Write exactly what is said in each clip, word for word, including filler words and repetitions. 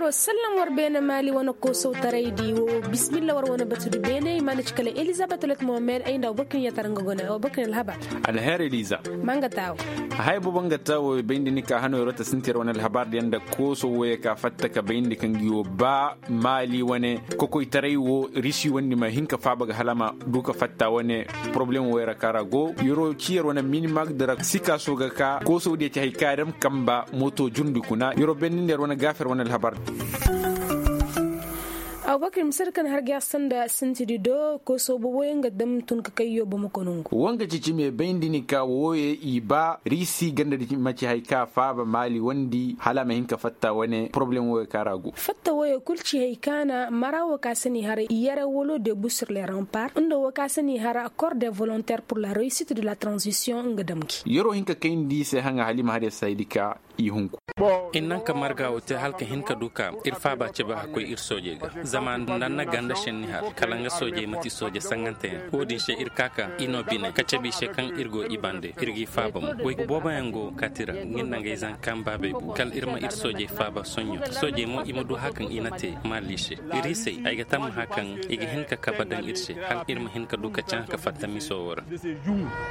Sallam war beene maali wane koosowtaraydi wo. Bismillah war wane batu di beene i mana ci kala elizabet let mohamed ay nda abubakar yatar nga gone abubakar alhabar. Alher eliza. Ma nga taawo. Hay bobo nga taawo bayndi ni ka hano yaro ta sinti yar wane alhabar di yaŋ da kooso woye ka fatta ka bayndi kaŋ gi wo ba maali wane kokoytaray wo risi wandi ma hin ka faaba ga hala ma du ka fatta wane. Poroblem wo yara ka ra go yaro ci yar wane minimag dira sikaso ga ka kooso diya ci hay ka dam kamba moto jurndi kuna yaro benni nda yar wane gaafer wane alhabar. Abubakar misir kan har ga sanda sintidi do kooso boboyaŋ ga dam tun ka kayyo bomo konongo. Wanga cici me bayndi ni ka woye i ba risi ganda di maci hay ka faaba maali wandi hala ma hin ka fatta wane poroblem woye ka ra go. Fatta woye kul ci hay ka na mara wo ka sani haray yare wolo de busur le rampar nda wo ka sani hara accord de volontaire pour la réussite de la transition nga dam gi. Yaro hin ka kayndi se haŋa halima har ya saydi ka i hunku. Innan ka marga wo te hala ka hin ka du ka ir faaba cabe hakkoy ir soojey ga. Zama nda na ganda senni har kala nga soojey mati sooje saŋanteyaŋ wo-din se ir ka ka i no bine ka cabe i se kaŋ ir go i bande ir g'i faaba mo goy booboyaŋ go kati ra nga nda ngey zankan baabey bu kala ir ma ir soojey faaba soɲɲo. Soojey mo i ma du hakaŋ i na te maali se. Iriisey ay ga tammaha kaŋ i ga hin ka kabe daŋ ir se hala ir ma hin ka du ka caŋ ka fatta miso wo ra.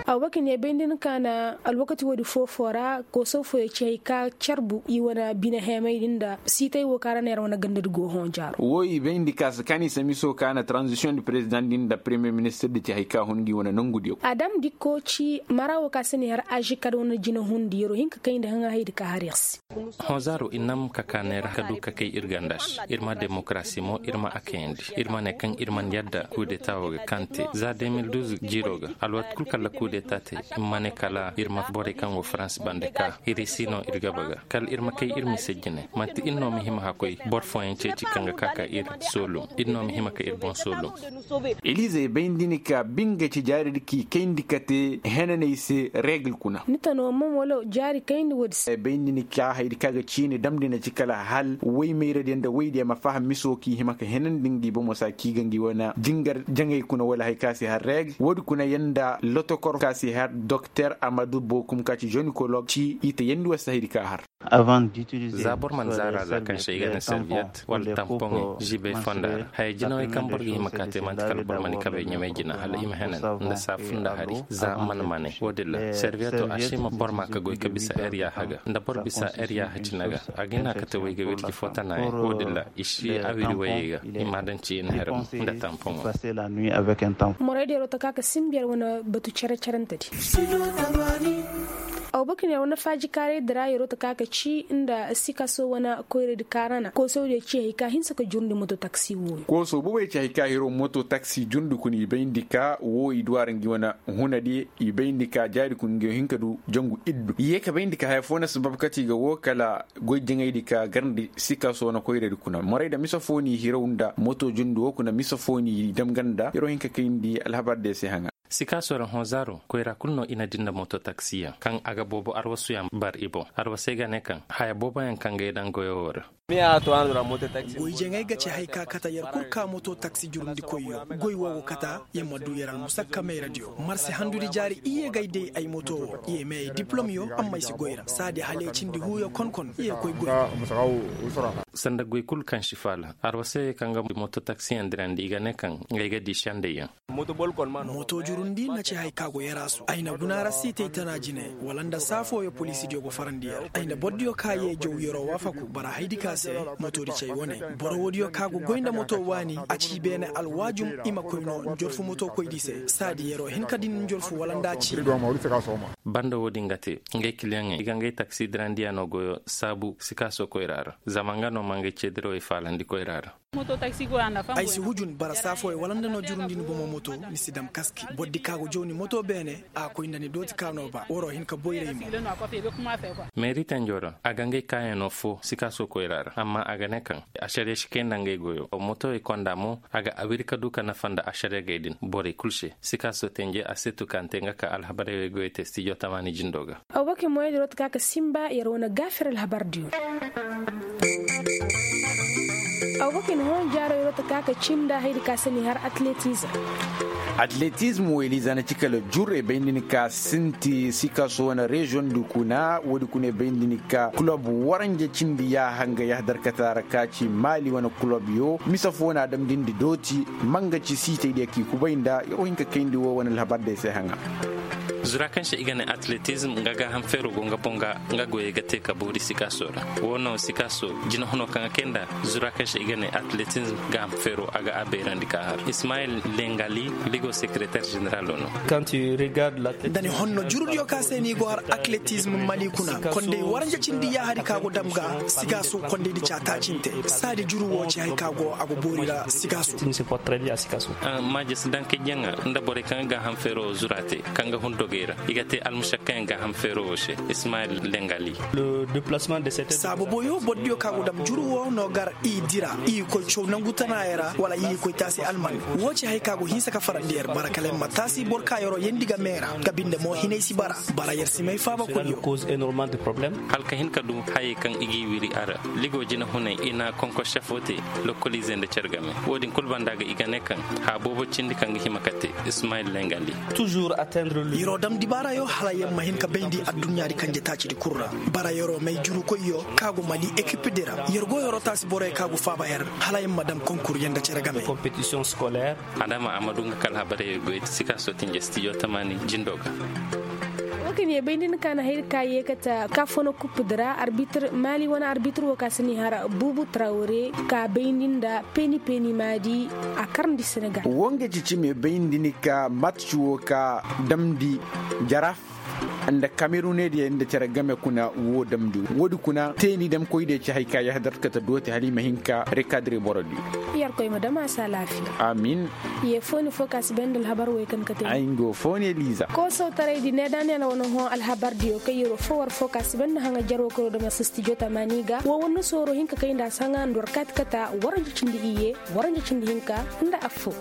Abubakar ne bay nda ni ka na alwakati woodi foofo ra kooso fooyey ci hay ka carbu i wane bine heemay din nda siitay wo ka ra neera wane ganda di go hõ jaaro. Wo i bay nda ka si kaani se miso ka na transition di president din nda premier ministre di ci hay ka hun gi wane nangu diyo. Adam dikko ci mara wo ka si ni har azikad wane jina hundi yaro hin ka kay nda haŋa hay di ka har ir se. Hõ zaaro i nam ka ka neera ka du ka kay ir ganda se ir ma demokarasi mo ir ma a kayandi. Ir ma ne kaŋ ir man yadda kudeta wo ga kaŋ te za deux mille douze jiiro ga alwati kul kala kudeta te. I ma ne kala ir ma borey kaŋ go faransi bande ka ir si no ir gaba ga kala ir ma kay ir mise jine manti ir no ma hima hakkoy boro fooyaŋ ceeci kaŋ ga ka ka ir soolum. Ir no ma hima ka ir boŋ soolum. Elize bay nda ni ka binga ci jaari di k'i kayndi ka te henaney se regl kuna. Ni tano mo wala jaari kayndi woodi se bay nda ni ka haydi ka ga ciini damndi na ci kala hal woy mayradiyaŋ nda woydiyaŋ ma faham miso k'i hima ka henandi ngi bomo sa k'i ga ngi wane jingar jaŋay kuna wala hay ka si har regl woodi kuna yaŋ nda lotokor ka si har dokter amadu bokum ka ci jonikolog ci i ta yandi wasa haydi ka har. Za boro mana zaara za kaŋ se i ga ne serviyet wala tampoŋey zibey fonda ra haya jinawey kaŋ boro ga hima ka te manti kala boro mana i kabey ɲamey jina hala i ma henan nda saafu nda hari za mana mane wo-din ra serviyeto a si hima boro ma ka goy ka bisa er yaaha ga nda boro bisa er yaaha cine ga. A ga hina ka te way ga wirji fo tanayaŋ wo-din ra i si a wiri wayey ga i ma a daŋ ci i na her nda tampoŋo. Morey da yaro ta ka ka simbi yar wane batu care-carante di. Abubakar ne wane faaji kaaray dira yaro ta ka ka ci nda sikaso wane koyradi kaarana koosawdiyo ci hay ka hinsa ka jurndi moto taksi wooyo. Kooso boboyo ci hay ka hiro moto taksi jurndi kuna i bayndi ka woo i duwara ngi wane hunadi i bayndi ka jaari kuna ngi hin ka du jangu iddu i ye ka bayndi ka haya foo na sabab kati ga woo kala goy jaŋaydi ka garndi sikaso wane koyradi kuna morayda mise foo n'i hiraw nda moto jurndi woo kuna mise foo n'i dam ganda hiro hin ka kayndi alhabar diyo se haŋa. Sikaso ra hõ zaaro koyra kul no i na di nda moto taksiyaŋ kaŋ a ga boobo arwasuyaŋ bar i boŋ arwasey ga ne kaŋ haya booboyaŋ kaŋ ga ay daŋ goyo woo ra. Goy jaŋay ga ci hay ka kata yer kul ka moto taksi jurundikoyyo goy woo go kata yer ma du yer almusakka mayradiyo marse handudi jaari iyye g'ay day ay moto woo iyye me ay diplomyo amma ay si goy ra saadi hala ay cindi huuyo konkon iyye koy goy. Sanda goy kul kaŋ si faala arwasey kaŋ ga moto taksiyaŋ dirandi i ga ne kaŋ ngey ga di sendeyyaŋ. Moto jurundi na ci hay ka go yaraasu ay na guna ra siitay tana jine wala nda saa fooyo poliisidiyo go farandi yer ay na bordiyo ka ye jaw yeroo waafaku bara haydi ka se. Motoodi cay wane boro woodiyo ka go goy nda moto waani a ci beene alwaajum i ma koy no njorfu moto koydi se saadi yeroo hin ka din njorfu wala nda a ci. Banda woodin ga te ngey kiliyaŋey i ga ngey taksi dirandiyaano goyo saabu sikaaso koyra ra zama nga no ma ngey ceedirawey faalandi koyra ra. Ay si hujun bara saa fooyo wala nda no jurundin bomo moto ni si dam kaski bordi ka go jaw ni moto beene a koy nda ni dooti ka no ba waroo hin ka boyray mo. Meeri tenjo ra a ga ngey kaayanoo foo sikaaso koyra ra amma a ga ne kaŋ ašariya si kay nda ngey goyo motowey konda mo a ga a wiri ka du ka nafa nda ašariyagey din borey kul se. Sikaaso tenje a seetu ka nte nga ka alhabarey wey goyo te stijo tamaani jindo ga. Abubakar moyey da rota ka ka simba yer wane gaafir alhabar diyo. Abubakar ni hon jaaro yer rota ka ka cinda haydi ka sani har atletizm. Atletizm. Eliza na ci kala jur e bay nda ni ka sinti sikaso wane reziyoŋ di kuna woodi kuna e bay nda ni ka kulob waranja cindi yaaha nga yaaha darkata ra ka ci maali wane kulob yo mise fo na a damndi nda dooti. Manga ci siitay diya k'i kubay nda yer wo hin ka kayndi wo wane alhabar day se haŋa. Zura kaŋ se i ga ne atletizm nga gaaham feero go nga boŋ ga nga goyey ga te ka boori sikaso ra. Wo no sikaso jinahuno kaŋ a kay nda zura kaŋ se i ga ne atletizm gaaham feero a ga a beerandi ka har ismayil lengali ligo sekereter ženeralo no. Da ni honno jurudiyo ka se no i go har atletizm mali kuna kondey waranja cindi yaahari ka go dam ga. Sigaso kondey di caataacinte saadi juru wo ci hay ka go a go boori ra sigaso. Maajis dankayjaŋa nda borey kaŋ ga gaaham feero zura te kaŋ ga hun dogey ra i ga te almušakkayaŋ gaaham feero wo se. Ismayil lengali. Saabu boyo bordiyo ka go dam juru wo no gar i dira i koy caw nangu tanaayey ra wala i koy taasi alman. Wo ci hay ka go hinsa ka farandi yer bara kala yer ma taasi boro ka yeroo yeendi ga meera ga binde mo hinay si bara. Bara yer si may faaba koyyo. Hala ka hin ka du hayey kaŋ i g'i wiri a ra ligo jinahunay i na konkosse fo te. Lokkoliizey nda cere game wo-din kul banda ga i ga ne kaŋ haa boobo cindi kaŋ ga hima ka te. Ismayil lengali. Yeroo dam dibaarayo hala yer ma hin ka bayndi adduɲɲaadi kanje taacidi kul ra. Bara yeroo may jurukoyyo ka go mali ekipedi ra yer go yeroo taasi boroyo ka go faaba yer hala yer ma dam konkur yer nda cere game. Adama a ma du nga kala habarey goy sikaso tinje stijo tamaani jindo ga. Wo kaŋ ye bayndi ni ka na hayri ka ye kate ka fono kuppudi ra arbitir maali wane arbitir wo ka si ni har buubu trawre ka bayndi nda peeni peeni maadi. A karndi senegal. Wo nga ci cime bayndi ni ka matci wo ka damndi jaraaf nda kamerunediya nda cere game kuna wo damndi woodi kuna teeni damkoydiya ci hay ka yahadar kate dooti hala i ma hin ka rekadire borodiyo. Yerkoy ma dam a se alaafiya. Amin. Ye fooni fo ka si bay nda alhabar wey kaŋ kate ay nga wo fooni eliza. Koosawtaraydi needaaniyal wane hõ alhabardiyo kaŋ yeroo fo war fo ka si bay nda haŋa jarwo kaŋ yeroo dam a se stijo tamaani ga wo war na sooro hin ka kay nda a se haŋa nda war kaati kata waranja cindi iyye waranja cindi hinka nda affo.